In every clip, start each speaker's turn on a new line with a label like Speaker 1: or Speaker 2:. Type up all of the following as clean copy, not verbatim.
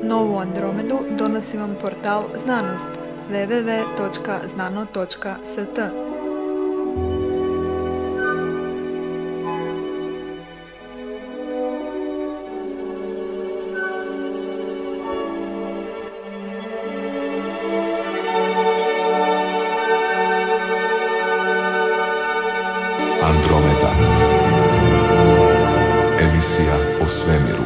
Speaker 1: Novu Andromedu donosi vam portal Znanost www.znano.st.
Speaker 2: Andromeda. Emisija o svemiru.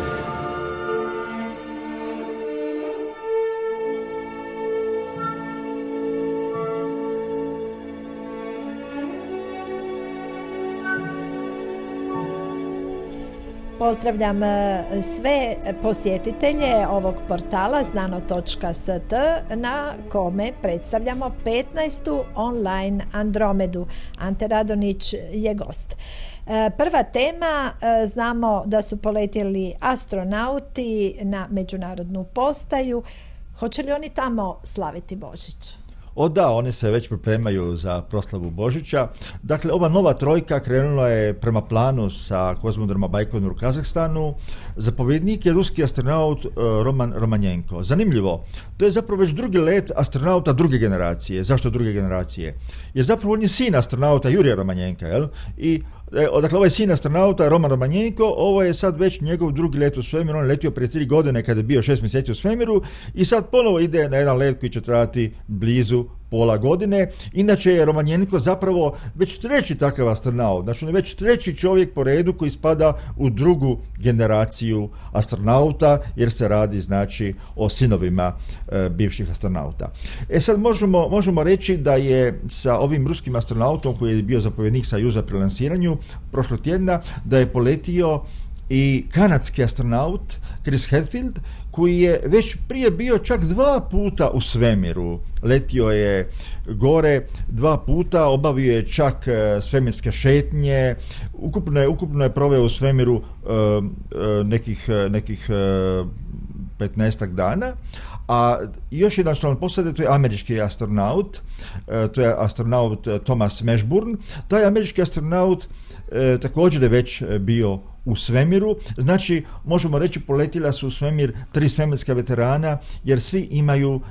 Speaker 3: Pozdravljam sve posjetitelje ovog portala znano.st na kome predstavljamo 15. online Andromedu. Ante Radonić je gost. Prva tema, znamo da su poletjeli astronauti na međunarodnu postaju. Hoće li oni tamo slaviti Božić?
Speaker 4: Da, oni se već pripremaju za proslavu Božića. Dakle, ova nova trojka krenula je prema planu sa kozmodroma Bajkonur u Kazahstanu. Zapovjednik je ruski astronaut Roman Romanjenko. Zanimljivo, to je zapravo već drugi let astronauta druge generacije. Zašto druge generacije? Jer zapravo on je sin astronauta Jurija Romanjenka, jel? I dakle, ovaj sin astronauta Roman Romanjenko, ovo je sad već njegov drugi let u svemiru. On je letio prije 3 godine kada je bio 6 mjeseci u svemiru i sad ponovo ide na jedan let koji će trajati blizu pola godine. Inače je Romanjenko zapravo već treći takav astronaut. Znači on je već treći čovjek po redu koji spada u drugu generaciju astronauta, jer se radi znači o sinovima bivših astronauta. Sad možemo reći da je sa ovim ruskim astronautom koji je bio zapovjednik Sojuza pri lansiranju prošlog tjedna, da je poletio i kanadski astronaut Chris Hadfield, koji je već prije bio čak 2 puta u svemiru. Letio je gore 2 puta, obavio je čak svemirske šetnje, ukupno je proveo u svemiru nekih 15 dana. A još jedan član posade, to je američki astronaut, to je astronaut Thomas Mashburn. Taj američki astronaut također je već bio u svemiru, znači možemo reći poletila su u svemir 3 svemirska veterana, jer svi imaju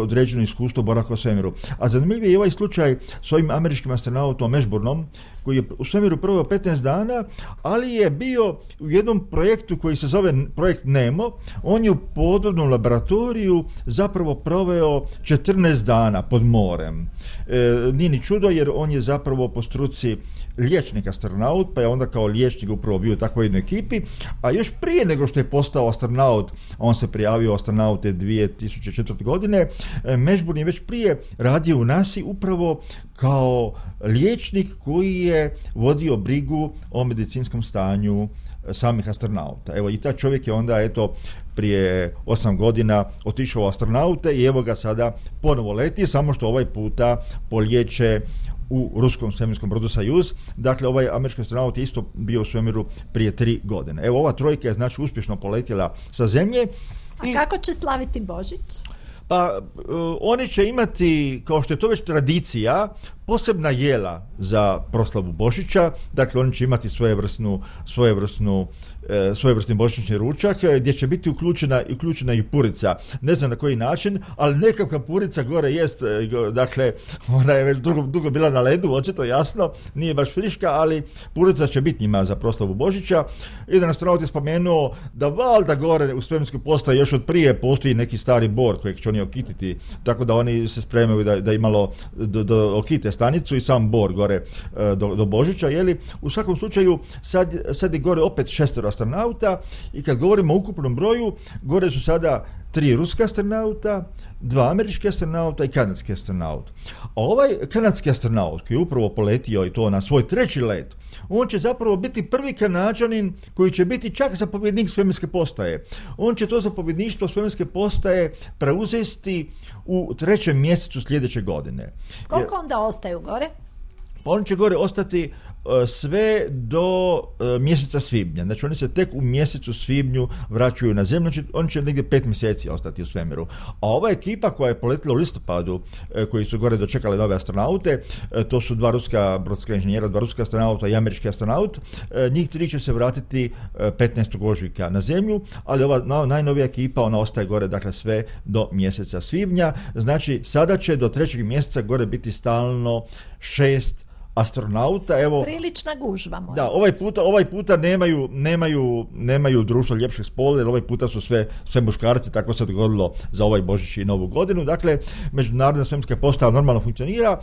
Speaker 4: određeno iskustvo boravka u svemiru. A zanimljiv je ovaj slučaj s ovim američkim astronautom Mashburnom, koji je u svemiru proveo 15 dana, ali je bio u jednom projektu koji se zove projekt NEMO. On je u podvodnom laboratoriju zapravo proveo 14 dana pod morem. Nije ni čudo, jer on je zapravo po struci liječnik astronaut, pa je onda kao liječnik upravo bio u takvoj jednoj ekipi, a još prije nego što je postao astronaut, on se prijavio astronaute 2004. godine, Mashburn je već prije radio u NASA upravo kao liječnik koji je vodio brigu o medicinskom stanju samih astronauta. Evo, i taj čovjek je onda prije 8 godina otišao u astronaute i evo ga sada ponovo leti, samo što ovaj puta polijeće u ruskom svemirskom brodu Sojuz. Dakle, ovaj američki astronaut je isto bio u svemiru prije 3 godine. Evo, ova trojka je znači uspješno poletjela sa Zemlje.
Speaker 3: A kako će slaviti Božić?
Speaker 4: Pa oni će imati, kao što je to već tradicija, posebna jela za proslavu Božića. Dakle, oni će imati svojevrsni božićni ručak gdje će biti uključena i purica. Ne znam na koji način, ali nekakva purica gore jest. Dakle, ona je već dugo bila na ledu, očito jasno, nije baš friška, ali purica će biti njima za proslavu Božića. Jedan astronaut je spomenuo da valjda gore u svemirskoj postaji još od prije postoji neki stari bor kojeg će oni okititi, tako da oni se spremaju da imalo okite stanicu i sam bor gore do Božića, jeli? U svakom slučaju sad je gore opet 6 astronauta i kad govorimo o ukupnom broju, gore su sada 3 ruska astronauta, 2 američki astronauta i kanadski astronaut. A ovaj kanadski astronaut koji je upravo poletio i to na svoj 3. let, on će zapravo biti prvi Kanađanin koji će biti čak zapovjednik svemirske postaje. On će to zapovjedništvo svemirske postaje preuzeti u 3. mjesecu sljedeće godine.
Speaker 3: Koliko onda ostaju gore?
Speaker 4: Pa on će gore ostati sve do mjeseca svibnja. Znači oni se tek u mjesecu svibnju vraćaju na zemlju, znači oni će negdje 5 mjeseci ostati u svemiru. A ova ekipa koja je poletila u listopadu, koji su gore dočekali nove astronaute, to su 2 ruska brodska inženjera, 2 ruska astronauta i američki astronaut, njih 3 će se vratiti 15. ožujka na zemlju, ali ova najnovija ekipa, ona ostaje gore, dakle sve do mjeseca svibnja. Znači sada će do 3. mjeseca gore biti stalno 6 astronauta. Evo,
Speaker 3: prilična gužva moja.
Speaker 4: Da, ovaj puta nemaju društvo ljepšeg spola, jer ovaj puta su sve muškarci, tako se dogodilo za ovaj Božić i Novu godinu. Dakle, međunarodna svemirska postaja normalno funkcionira.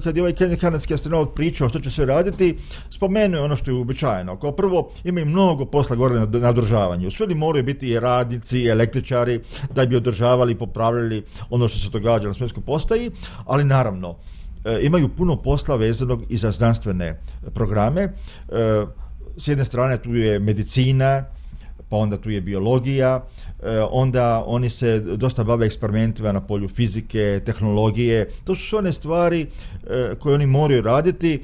Speaker 4: Kad je ovaj kanadski astronaut pričao što će sve raditi, spomenuo je ono što je uobičajeno. Kao prvo, imaju mnogo posla gore na održavanju. Sve moraju biti i radnici, i električari, da bi održavali i popravljali ono što se događa na svemirskoj postaji, ali naravno, imaju puno posla vezanog i za znanstvene programe. S jedne strane tu je medicina, pa onda tu je biologija, onda oni se dosta bave eksperimentima na polju fizike, tehnologije. To su sve one stvari koje oni moraju raditi.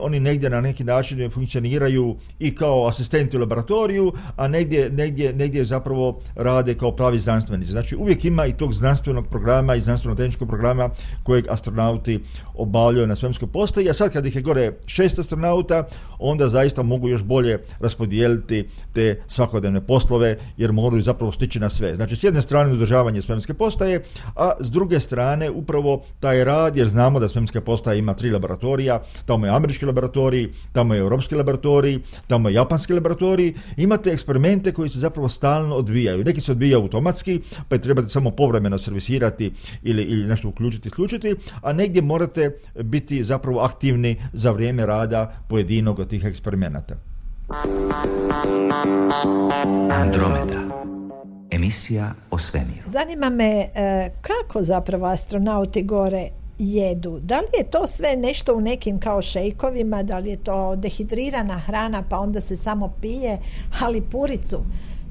Speaker 4: Oni negdje na neki način funkcioniraju i kao asistenti u laboratoriju, a negdje zapravo rade kao pravi znanstvenici. Znači uvijek ima i tog znanstvenog programa i znanstveno-tehničkog programa kojeg astronauti obavljaju na svemirskoj postaji, a sad kad ih je gore 6 astronauta, onda zaista mogu još bolje raspodijeliti te svakodnevne poslove, jer moraju zapravo stići na sve. Znači, s jedne strane održavanje svemirske postaje, a s druge strane upravo taj rad, jer znamo da svemirska postaja ima 3 laboratorija, tamo je američki laboratorij, tamo je europski laboratorij, tamo je japanski laboratorij. Imate eksperimente koji se zapravo stalno odvijaju. Neki se odvijaju automatski, pa je trebate samo povremeno servisirati ili nešto uključiti, isključiti, a negdje morate biti zapravo aktivni za vrijeme rada pojedinog od tih eksperimenata.
Speaker 5: Andromeda. Emisija o svemiru.
Speaker 3: Zanima me kako zapravo astronauti gore jedu. Da li je to sve nešto u nekim kao šejkovima, da li je to dehidrirana hrana pa onda se samo pije, ali puricu.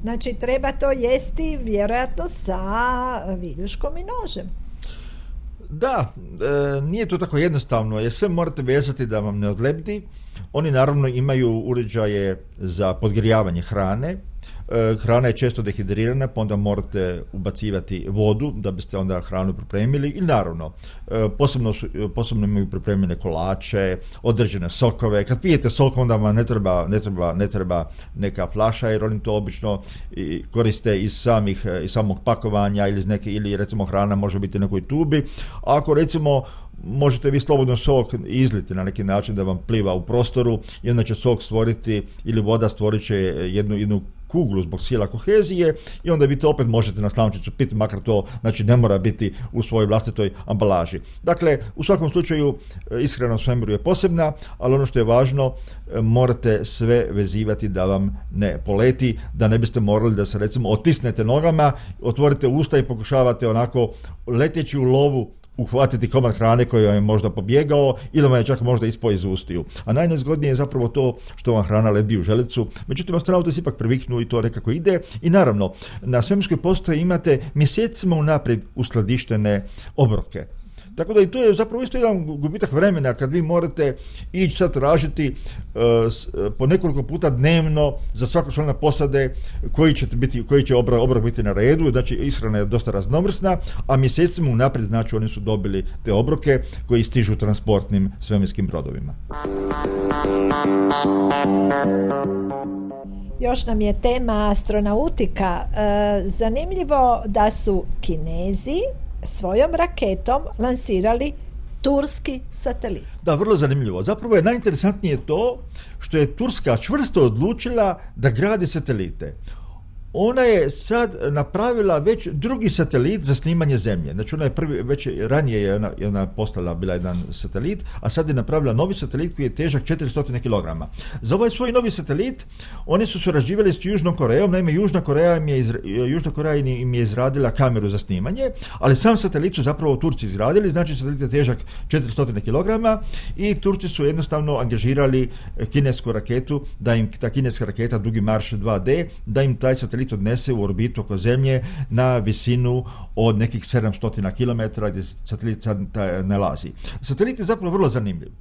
Speaker 3: Znači treba to jesti vjerojatno sa viljuškom i nožem.
Speaker 4: Da, nije to tako jednostavno, jer sve morate vezati da vam ne odlepdi. Oni naravno imaju uređaje za podgrijavanje hrane. Hrana je često dehidrirana, pa onda morate ubacivati vodu da biste onda hranu pripremili i naravno posebno imaju pripremljene kolače, određene sokove. Kad pijete sok, onda vam ne treba neka flaša, jer oni to obično koriste iz samog pakovanja ili recimo hrana može biti u nekoj tubi. Ako recimo možete vi slobodno sok izliti na neki način da vam pliva u prostoru i onda će sok stvoriti ili voda stvorit će jednu kuglu zbog sila kohezije i onda vi to opet možete na slamčicu piti, makar to znači ne mora biti u svojoj vlastitoj ambalaži. Dakle, u svakom slučaju ishrana u svemiru je posebna, ali ono što je važno, morate sve vezivati da vam ne poleti, da ne biste morali da se recimo otisnete nogama, otvorite usta i pokušavate onako leteći u lovu uhvatiti komad hrane koji vam je možda pobjegao ili vam je čak možda ispao iz ustiju. A najnezgodnije je zapravo to što vam hrana lebdi u želucu. Međutim, astronauti se ipak priviknu i to nekako ide. I naravno, na svemirskoj postaji imate mjesecima unaprijed uskladištene obroke. Tako da i to je zapravo isto jedan gubitak vremena kad vi morate ići sad tražiti po nekoliko puta dnevno za svakog člana posade koji će obrok biti na redu. Znači ishrana je dosta raznovrsna, a mjesecima unaprijed znači oni su dobili te obroke koji stižu transportnim svemirskim brodovima.
Speaker 3: Još nam je tema astronautika. Zanimljivo da su Kinezi svojom raketom lansirali turski satelit.
Speaker 4: Da, vrlo zanimljivo. Zapravo je najinteresantnije to što je Turska čvrsto odlučila da gradi satelite. Ona je sad napravila već drugi satelit za snimanje zemlje. Znači ona je već ranije je ona postala bila jedan satelit, a sad je napravila novi satelit koji je težak 400 kg. Za ovaj svoj novi satelit oni su surađivali s Južnom Korejom. Naime, Južna Koreja im je izradila kameru za snimanje, ali sam satelit su zapravo Turci izradili. Znači satelit je težak 400 kg i Turci su jednostavno angažirali kinesku raketu, da im ta kineska raketa Dugi marš 2D, da im taj satelit satelit odnese u orbitu oko Zemlje na visinu od nekih 700 km gdje satelit sad nalazi. Satelit je zapravo vrlo zanimljiv.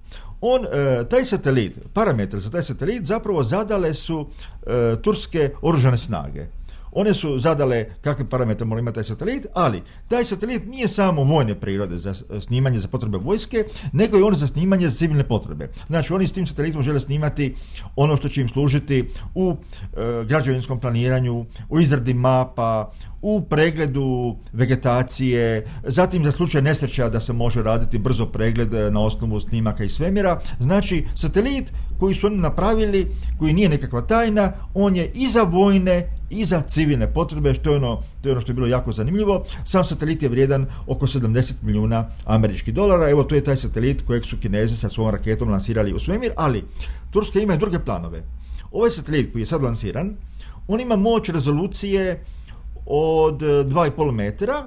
Speaker 4: Taj satelit, parametre za taj satelit zapravo zadale su turske oružane snage. One su zadale kakve parametre mora imati taj satelit, ali taj satelit nije samo vojne prirode za snimanje za potrebe vojske, nego i on za snimanje za civilne potrebe. Znači, oni s tim satelitom žele snimati ono što će im služiti u građevinskom planiranju, u izradi mapa, u pregledu vegetacije, zatim za slučaj nesreća da se može raditi brzo pregled na osnovu snimaka iz svemira. Znači, satelit koji su oni napravili, koji nije nekakva tajna, on je i za vojne i za civilne potrebe, što je ono što je bilo jako zanimljivo. Sam satelit je vrijedan oko 70 milijuna američkih dolara. Evo, to je taj satelit kojeg su Kinezi sa svojom raketom lansirali u svemir, ali Turska ima i druge planove. Ovaj satelit koji je sad lansiran, on ima moć rezolucije od 2,5 metara,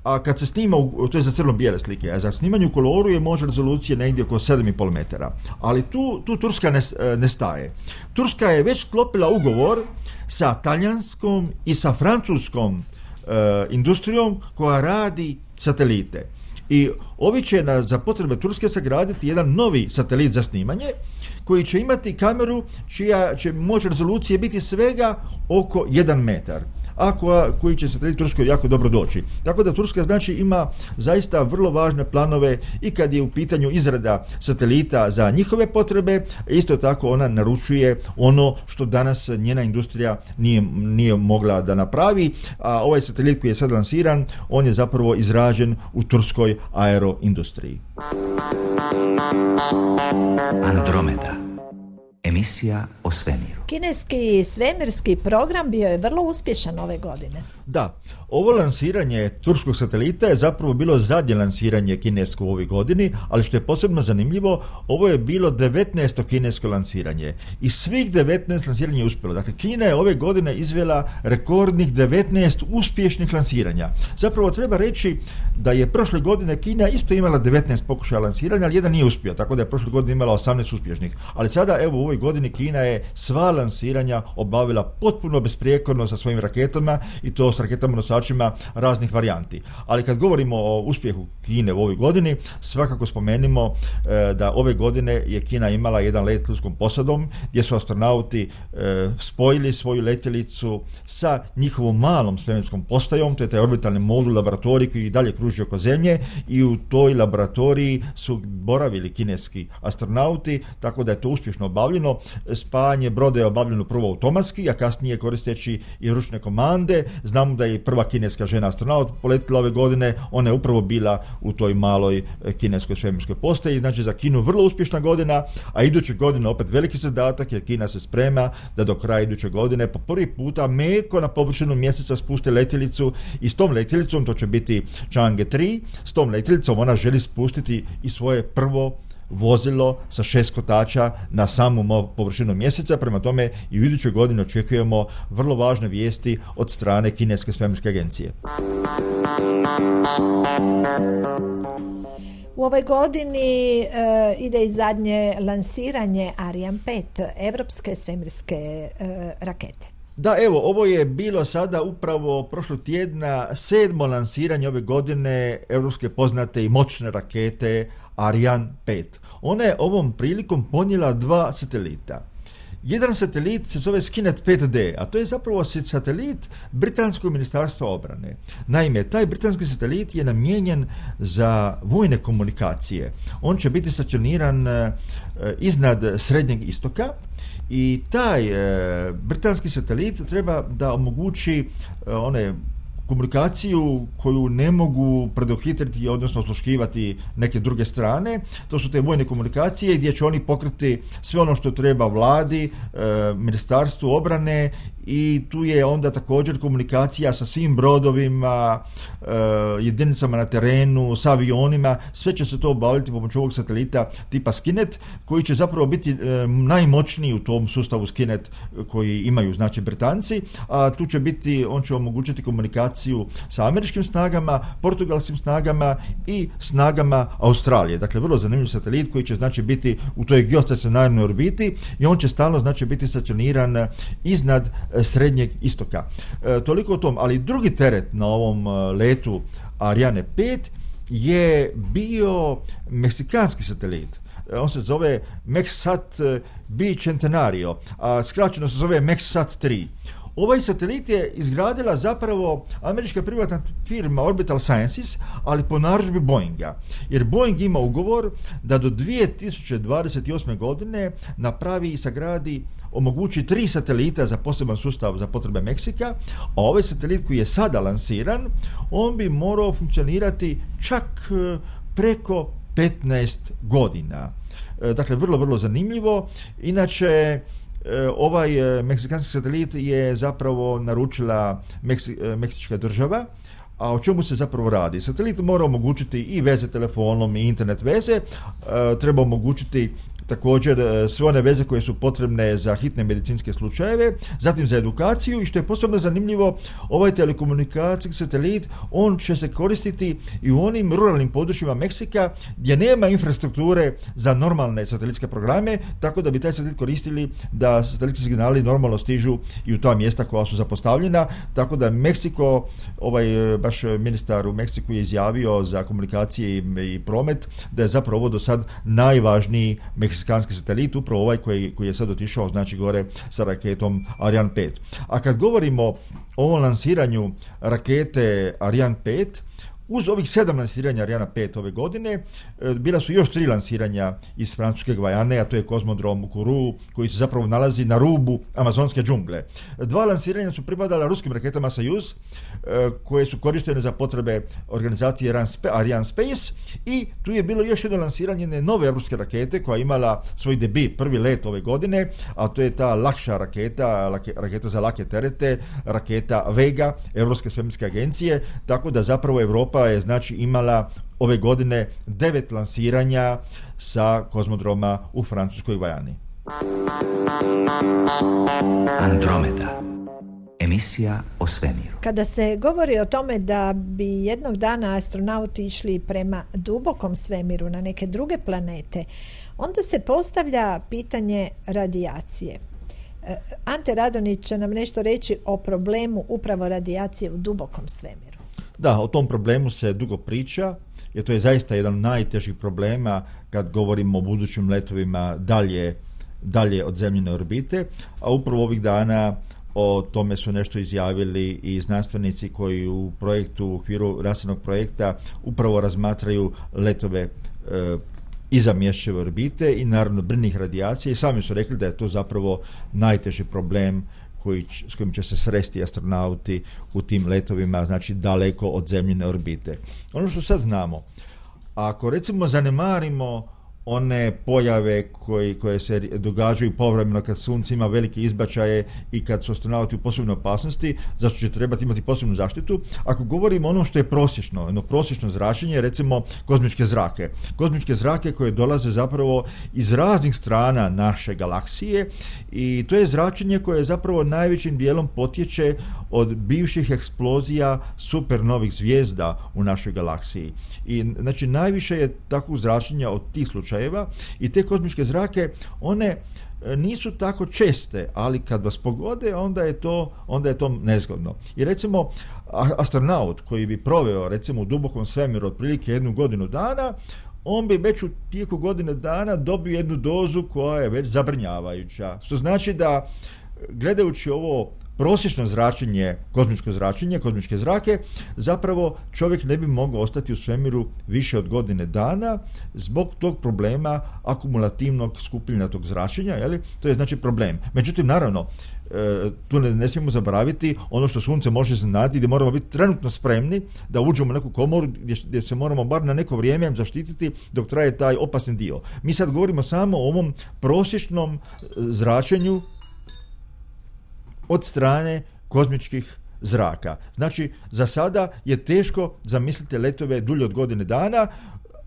Speaker 4: a kad se snima, to je za crno-bijele slike, a za snimanje u koloru je moć rezolucije negdje oko 7,5 metara. Ali tu Turska ne staje. Turska je već sklopila ugovor sa talijanskom i sa francuskom industrijom koja radi satelite. I ovi će za potrebe Turske sagraditi jedan novi satelit za snimanje koji će imati kameru čija će moć rezolucije biti svega oko 1 metar, a koji će satelit Turskoj jako dobro doći. Tako da Turska znači ima zaista vrlo važne planove i kad je u pitanju izrada satelita za njihove potrebe, isto tako ona naručuje ono što danas njena industrija nije mogla da napravi, a ovaj satelit koji je sad lansiran, on je zapravo izrađen u turskoj aeroindustriji.
Speaker 5: Andromeda. Emisija o svemiru.
Speaker 3: Kineski svemirski program bio je vrlo uspješan ove godine.
Speaker 4: Da, ovo lansiranje turskog satelita je zapravo bilo zadnje lansiranje kinesko u ovoj godini, ali što je posebno zanimljivo, ovo je bilo 19. kinesko lansiranje. I svih 19 lansiranja je uspjelo. Dakle, Kina je ove godine izvela rekordnih 19 uspješnih lansiranja. Zapravo treba reći da je prošle godine Kina isto imala 19 pokušaja lansiranja, ali jedan nije uspio, tako da je prošle godine imala 18 uspješnih. Ali sada, evo, u ovoj godini Kina je sva lansiranja obavila potpuno besprijekorno sa svojim raketama, i to s raketama nosačima raznih varijanti. Ali kad govorimo o uspjehu Kine u ovoj godini, svakako spomenimo da ove godine je Kina imala jedan let ljudskom posadom gdje su astronauti spojili svoju letjelicu sa njihovom malom svemirskom postajom, to je taj orbitalni modul laboratorij koji i dalje kruži oko Zemlje, i u toj laboratoriji su boravili kineski astronauti, tako da je to uspješno obavljeno. Spajanje broda je obavljeno prvo automatski, a kasnije koristeći i ručne komande. Znamo da je prva kineska žena astronaut poletila ove godine, ona je upravo bila u toj maloj kineskoj svemirskoj postaji. Znači, za Kinu vrlo uspješna godina, a iduće godine opet veliki zadatak, jer Kina se sprema da do kraja iduće godine po prvi puta meko na površinu mjeseca spusti letjelicu, i s tom letjelicom, to će biti Chang'e 3, s tom letjelicom ona želi spustiti i svoje prvo vozilo sa 6 kotača na samu površinu mjeseca. Prema tome i u idućoj godini očekujemo vrlo važne vijesti od strane Kineske svemirske agencije.
Speaker 3: U ovoj godini ide i zadnje lansiranje Ariane 5, evropske svemirske rakete.
Speaker 4: Da, evo, ovo je bilo sada upravo prošlog tjedna 7. lansiranje ove godine evropske poznate i moćne rakete Ariane 5. Ona je ovom prilikom ponijela 2 satelita. Jedan satelit se zove Skinet 5D, a to je zapravo satelit Britanskog ministarstva obrane. Naime, taj britanski satelit je namijenjen za vojne komunikacije. On će biti stacioniran iznad Srednjeg istoka, i taj britanski satelit treba da omogući komunikaciju koju ne mogu preduhitriti, odnosno osluškivati neke druge strane. To su te vojne komunikacije gdje će oni pokriti sve ono što treba vladi, ministarstvu obrane, i tu je onda također komunikacija sa svim brodovima, jedinicama na terenu, sa avionima. Sve će se to obaviti pomoću ovog satelita tipa Skinet, koji će zapravo biti najmoćniji u tom sustavu Skinet koji imaju, znači, Britanci, a tu će biti, on će omogućiti komunikaciju sa američkim snagama, portugalskim snagama i snagama Australije. Dakle, vrlo zanimljiv satelit koji će, znači, biti u toj geostacionarnoj orbiti, i on će stalno, znači, biti stacioniran iznad Srednjeg istoka. Toliko o tom, ali drugi teret na ovom letu Ariane 5 je bio meksikanski satelit. On se zove MEXSAT Bicentenario, a skraćeno se zove MEXSAT 3. Ovaj satelit je izgradila zapravo američka privatna firma Orbital Sciences, ali po narudžbi Boeinga. Jer Boeing ima ugovor da do 2028. godine napravi i sagradi, omogući 3 satelita za poseban sustav za potrebe Meksika, a ovaj satelit koji je sada lansiran, on bi morao funkcionirati čak preko 15 godina. Dakle, vrlo, vrlo zanimljivo. Inače, ovaj meksikanski satelit je zapravo naručila meksička država. A o čemu se zapravo radi? Satelit mora omogućiti i veze telefonom i internet veze, treba omogućiti također sve one veze koje su potrebne za hitne medicinske slučajeve, zatim za edukaciju, i što je posebno zanimljivo, ovaj telekomunikacijski satelit, on će se koristiti i u onim ruralnim područjima Meksika gdje nema infrastrukture za normalne satelitske programe, tako da bi taj satelit koristili da satelitski signali normalno stižu i u ta mjesta koja su zapostavljena, tako da Meksiko, baš ministar u Meksiku je izjavio za komunikacije i promet da je zapravo ovo do sad najvažniji meksikanski satelit, upravo ovaj koji je sad otišao, znači gore sa raketom Ariane 5. A kad govorimo o ovom lansiranju rakete Ariane 5, uz ovih 7 lansiranja Ariana 5 ove godine, bila su još 3 lansiranja iz francuske Gvajane, a to je kozmodrom u Kourou, koji se zapravo nalazi na rubu amazonske džungle. 2 lansiranja su pripadala ruskim raketama Soyuz, koje su korištene za potrebe organizacije Ariane Space, i tu je bilo još jedno lansiranje nove ruske rakete koja je imala svoj debut, prvi let ove godine, a to je ta lakša raketa za lake terete, raketa Vega, Europske svemirske agencije, tako da zapravo Europa je znači imala ove godine 9 lansiranja sa kozmodroma u francuskoj Gvajani.
Speaker 5: Andromeda. Emisija o svemiru.
Speaker 3: Kada se govori o tome da bi jednog dana astronauti išli prema dubokom svemiru na neke druge planete, onda se postavlja pitanje radijacije. Ante Radonjić će nam nešto reći o problemu upravo radijacije u dubokom svemiru.
Speaker 4: Da, o tom problemu se dugo priča, jer to je zaista jedan od najtežih problema kad govorimo o budućim letovima dalje od zemljine orbite, a upravo ovih dana o tome su nešto izjavili i znanstvenici koji u okviru nastavnog projekta upravo razmatraju letove iza Mjesečeve orbite i naravno brnih radijacije, i sami su rekli da je to zapravo najteži problem s kojim će se sresti astronauti u tim letovima, znači daleko od zemljine orbite. Ono što sad znamo, ako recimo zanemarimo one pojave koje se događaju povremeno kad sunce ima velike izbačaje i kad su astronauti u posebnoj opasnosti, zašto će trebati imati posebnu zaštitu. Ako govorimo ono što je prosječno zračenje, recimo kozmičke zrake koje dolaze zapravo iz raznih strana naše galaksije, i to je zračenje koje zapravo najvećim dijelom potječe od bivših eksplozija supernovih zvijezda u našoj galaksiji. I znači najviše je takvog zračenja od tih slučajeva, i te kozmičke zrake, one nisu tako česte, ali kad vas pogode, onda je to nezgodno. I recimo astronaut koji bi proveo recimo u dubokom svemiru otprilike 1 godinu dana, on bi već u tijeku godine dana dobio jednu dozu koja je već zabrinjavajuća. Što znači da, gledajući ovo prosječno zračenje, kozmičke zrake, zapravo čovjek ne bi mogao ostati u svemiru više od godine dana zbog tog problema akumulativnog skupljanja tog zračenja, to je znači problem. Međutim, naravno, tu ne smijemo zaboraviti ono što sunce može iznenaditi, gdje moramo biti trenutno spremni da uđemo u neku komoru gdje se moramo bar na neko vrijeme zaštititi dok traje taj opasni dio. Mi sad govorimo samo o ovom prosječnom zračenju od strane kozmičkih zraka. Znači, za sada je teško zamisliti letove dulje od godine dana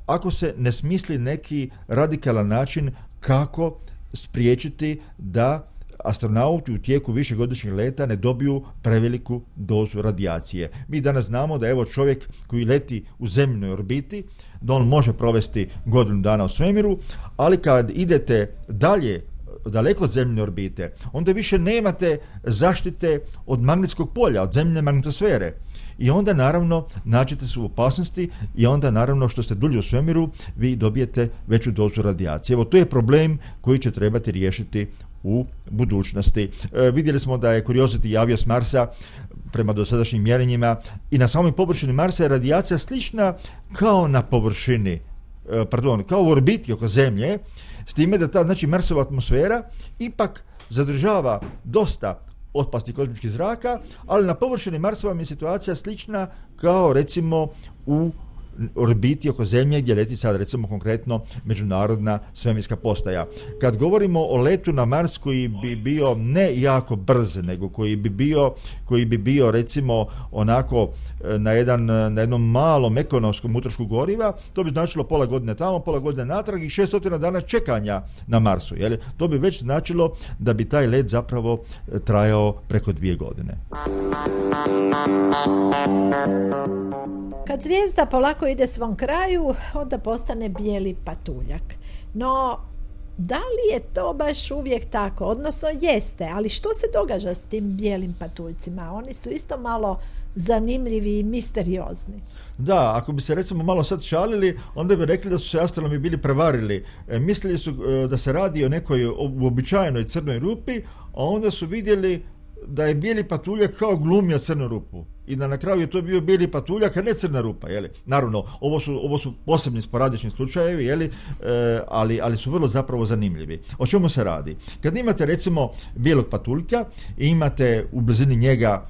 Speaker 4: ako se ne smisli neki radikalan način kako spriječiti da astronauti u tijeku višegodišnjeg leta ne dobiju preveliku dozu radijacije. Mi danas znamo da evo čovjek koji leti u zemljinoj orbiti, da on može provesti godinu dana u svemiru, ali kad idete dalje daleko od zemljine orbite, onda više nemate zaštite od magnetskog polja, od zemljine magnetosfere. I onda naravno nađete se u opasnosti i onda naravno što ste dulje u svemiru vi dobijete veću dozu radijacije. Evo to je problem koji će trebati riješiti u budućnosti. Vidjeli smo da je Curiosity javio s Marsa prema dosadašnjim mjerenjima i na samoj površini Marsa je radijacija slična kao na površini, kao u orbiti oko Zemlje, s time da ta Marsova atmosfera ipak zadržava dosta otpasti kozmičkih zraka, ali na površini Marsova je situacija slična kao recimo u orbiti oko Zemlje gdje leti sad recimo konkretno međunarodna svemirska postaja. Kad govorimo o letu na Mars koji bi bio ne jako brz, nego koji bi bio recimo onako na jednom malom ekonomskom utrošku goriva, to bi značilo pola godine tamo, pola godine natrag i 600 dana čekanja na Marsu. Jel? To bi već značilo da bi taj let zapravo trajao preko 2 godine.
Speaker 3: Kad zvijezda polako ide svom kraju, onda postane bijeli patuljak. No, da li je to baš uvijek tako? Odnosno jeste, ali što se događa s tim bijelim patuljcima? Oni su isto malo zanimljivi i misteriozni.
Speaker 4: Da, ako bi se recimo malo sad šalili, onda bi rekli da su se astronomi bili prevarili. Mislili su da se radi o nekoj uobičajenoj crnoj rupi, a onda su vidjeli da je bijeli patuljak kao glumio crnu rupu i da na kraju je to bio bijeli patuljak, a ne crna rupa. Jeli? Naravno, ovo su posebni sporadični slučajevi, jeli? Ali su vrlo zapravo zanimljivi. O čemu se radi? Kad imate recimo bijelog patuljka i imate u blizini njega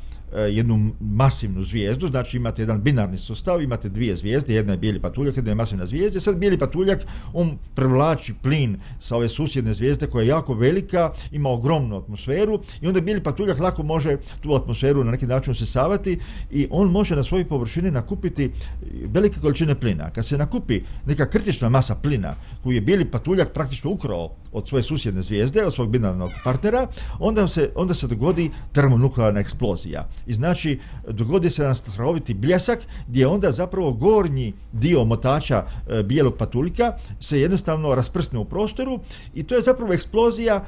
Speaker 4: jednu masivnu zvijezdu, znači imate jedan binarni sustav, imate 2 zvijezde, jedna je bijeli patuljak, jedna je masivna zvijezda. Sad bijeli patuljak, on privlači plin sa ove susjedne zvijezde koja je jako velika, ima ogromnu atmosferu i onda bijeli patuljak lako može tu atmosferu na neki način usisavati i on može na svojoj površini nakupiti velike količine plina. Kad se nakupi neka kritična masa plina koju je bijeli patuljak praktično ukrao od svoje susjedne zvijezde, od svog binarnog partnera, onda se dogodi termonuklearna eksplozija. I znači dogodi se jedan strahoviti bljesak gdje onda zapravo gornji dio motača bijelog patuljka se jednostavno rasprsne u prostoru i to je zapravo eksplozija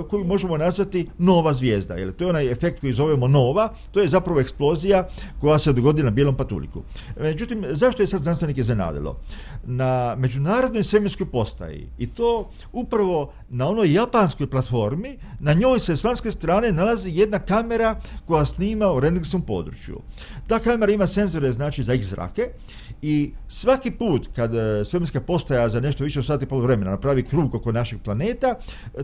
Speaker 4: koju možemo nazvati nova zvijezda. Jer to je onaj efekt koji zovemo nova, to je zapravo eksplozija koja se dogodi na bijelom patuljku. Međutim, zašto je sad znanstvenike iznenadilo? Na međunarodnoj svemirskoj postaji i to upravo na onoj japanskoj platformi, na njoj se s vanjske strane nalazi jedna kamera koja snima u rendgenskom području. Ta kamera ima senzore znači za X-zrake i svaki put kad svemirska postaja za nešto više od sati i pol vremena napravi krug oko našeg planeta,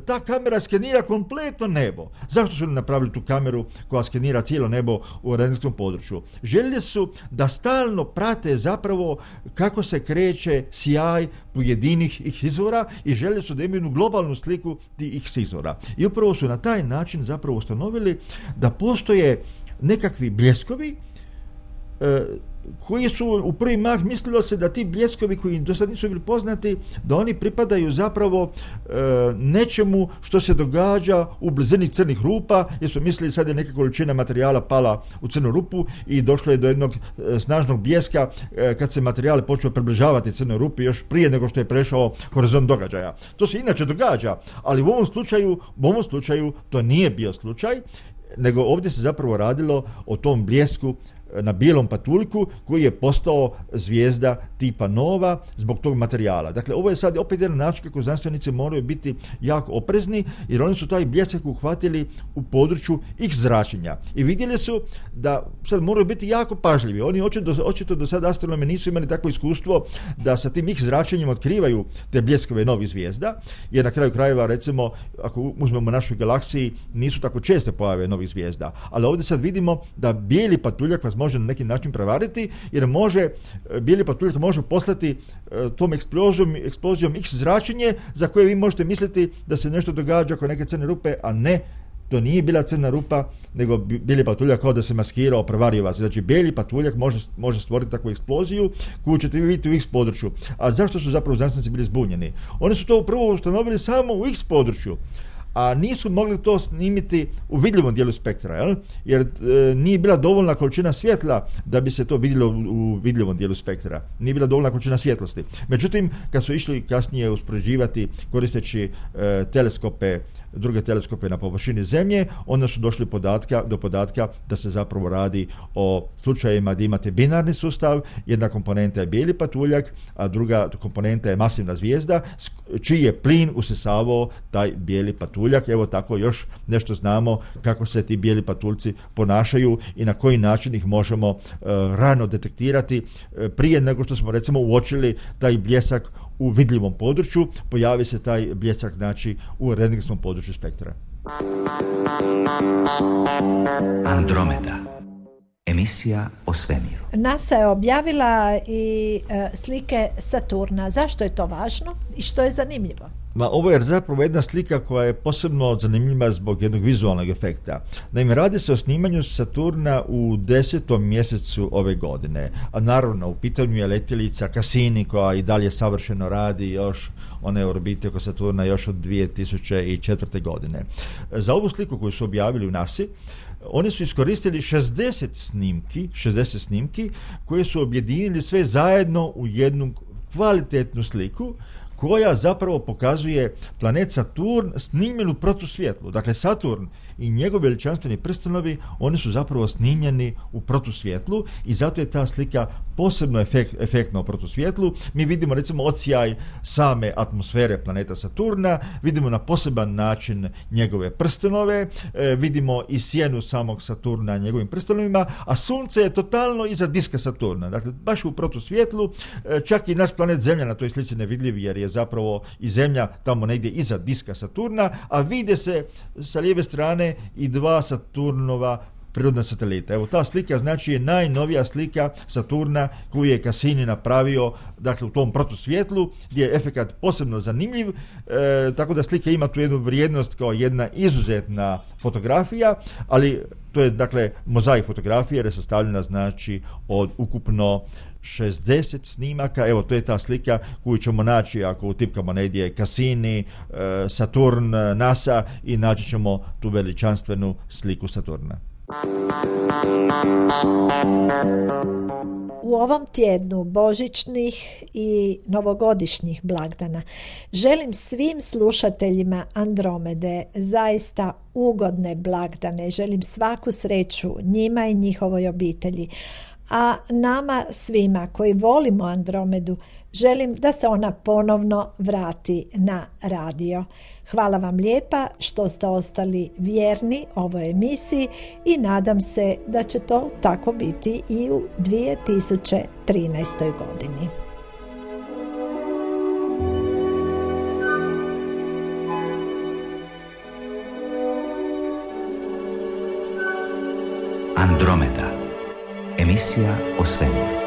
Speaker 4: ta kamera skenira kompletno nebo. Zašto su napravili tu kameru koja skenira cijelo nebo u rendgenskom području? Željeli su da stalno prate zapravo kako se kreće sjaj pojedinih X izvora i željeli su da imaju jednu globalnu sliku tih X izvora. I upravo su na taj način zapravo ustanovili da postoje nekakvi bljeskovi koji su u prvi mah mislilo se da ti bljeskovi koji do sad nisu bili poznati, da oni pripadaju zapravo nečemu što se događa u blizini crnih rupa, jer su mislili sad je neka količina materijala pala u crnu rupu i došlo je do jednog snažnog bljeska kad se materijal počeo približavati crnoj rupi još prije nego što je prešao horizont događaja. To se inače događa, ali u ovom slučaju to nije bio slučaj, nego ovdje se zapravo radilo o tom bljesku na bijelom patuljku koji je postao zvijezda tipa nova zbog tog materijala. Dakle, ovo je sad opet jedan način kako znanstvenici moraju biti jako oprezni jer oni su taj bljesak uhvatili u području X zračenja i vidjeli su da sad moraju biti jako pažljivi. Oni očito do sada astronomi nisu imali takvo iskustvo da sa tim X zračenjem otkrivaju te bljeskove novih zvijezda, jer na kraju krajeva recimo ako uzmemo našoj galaksiji nisu tako česte pojave novih zvijezda, ali ovdje sad vidimo da bijeli patuljak vas može na neki način prevariti, jer bijeli patuljak može poslati tom eksplozijom X zračenje za koje vi možete misliti da se nešto događa oko neke crne rupe, a ne, to nije bila crna rupa, nego bijeli patuljak kao da se maskirao, prevario vas. Znači, bijeli patuljak može stvoriti takvu eksploziju koju ćete vi vidjeti u X području. A zašto su zapravo znanstvenici bili zbunjeni? Oni su to prvo ustanovili samo u X području, a nisu mogli to snimiti u vidljivom dijelu spektra, jer nije bila dovoljna količina svjetla da bi se to vidjelo u vidljivom dijelu spektra. Nije bila dovoljna količina svjetlosti. Međutim, kad su išli kasnije uspoređivati koristeći druge teleskope na površini Zemlje, onda su došli do podatka da se zapravo radi o slučajevima da imate binarni sustav, jedna komponenta je bijeli patuljak, a druga komponenta je masivna zvijezda, čiji je plin usisavao taj bijeli patuljak. Evo tako još nešto znamo kako se ti bijeli patuljci ponašaju i na koji način ih možemo rano detektirati prije nego što smo recimo uočili taj bljesak u vidljivom području, pojavi se taj bljesak znači u rentgenskom području spektra.
Speaker 5: Andromeda. Emisija o svemiru.
Speaker 3: NASA je objavila i slike Saturna. Zašto je to važno i što je zanimljivo?
Speaker 4: Ovo je zapravo jedna slika koja je posebno zanimljiva zbog jednog vizualnog efekta. Naime, radi se o snimanju Saturna u 10. mjesecu ove godine. A naravno, u pitanju je letjelica Cassini koja i dalje savršeno radi još one orbite oko Saturna još od 2004. godine. Za ovu sliku koju su objavili u NASA-i, oni su iskoristili 60 snimki koje su objedinili sve zajedno u jednu kvalitetnu sliku koja zapravo pokazuje planet Saturn snimljen u protusvjetlu. Dakle, Saturn i njegovi veličanstveni prstenovi, oni su zapravo snimljeni u protusvjetlu i zato je ta slika posebno efektna u protusvjetlu. Mi vidimo recimo odsjaj same atmosfere planeta Saturna, vidimo na poseban način njegove prstenove, vidimo i sjenu samog Saturna njegovim prstenovima, a Sunce je totalno iza diska Saturna. Dakle, baš u protusvjetlu, čak i naš planet Zemlja na toj slici nevidljiv jer je zapravo i Zemlja tamo negdje iza diska Saturna, a vide se sa lijeve strane i dva Saturnova prirodna satelita. Evo, ta slika znači je najnovija slika Saturna koju je Cassini napravio, dakle u tom protusvjetlu, gdje je efekat posebno zanimljiv, tako da slika ima tu jednu vrijednost kao jedna izuzetna fotografija, ali to je dakle mozaik fotografije jer je sastavljena znači od ukupno 60 snimaka. Evo, to je ta slika koju ćemo naći ako utipkamo negdje Cassini, Saturn, NASA i naći ćemo tu veličanstvenu sliku Saturna.
Speaker 3: U ovom tjednu božićnih i novogodišnjih blagdana želim svim slušateljima Andromede zaista ugodne blagdane. Želim svaku sreću njima i njihovoj obitelji. A nama svima koji volimo Andromedu želim da se ona ponovno vrati na radio. Hvala vam lijepa što ste ostali vjerni ovoj emisiji i nadam se da će to tako biti i u 2013. godini.
Speaker 5: Andromeda. Emisija o svemiru.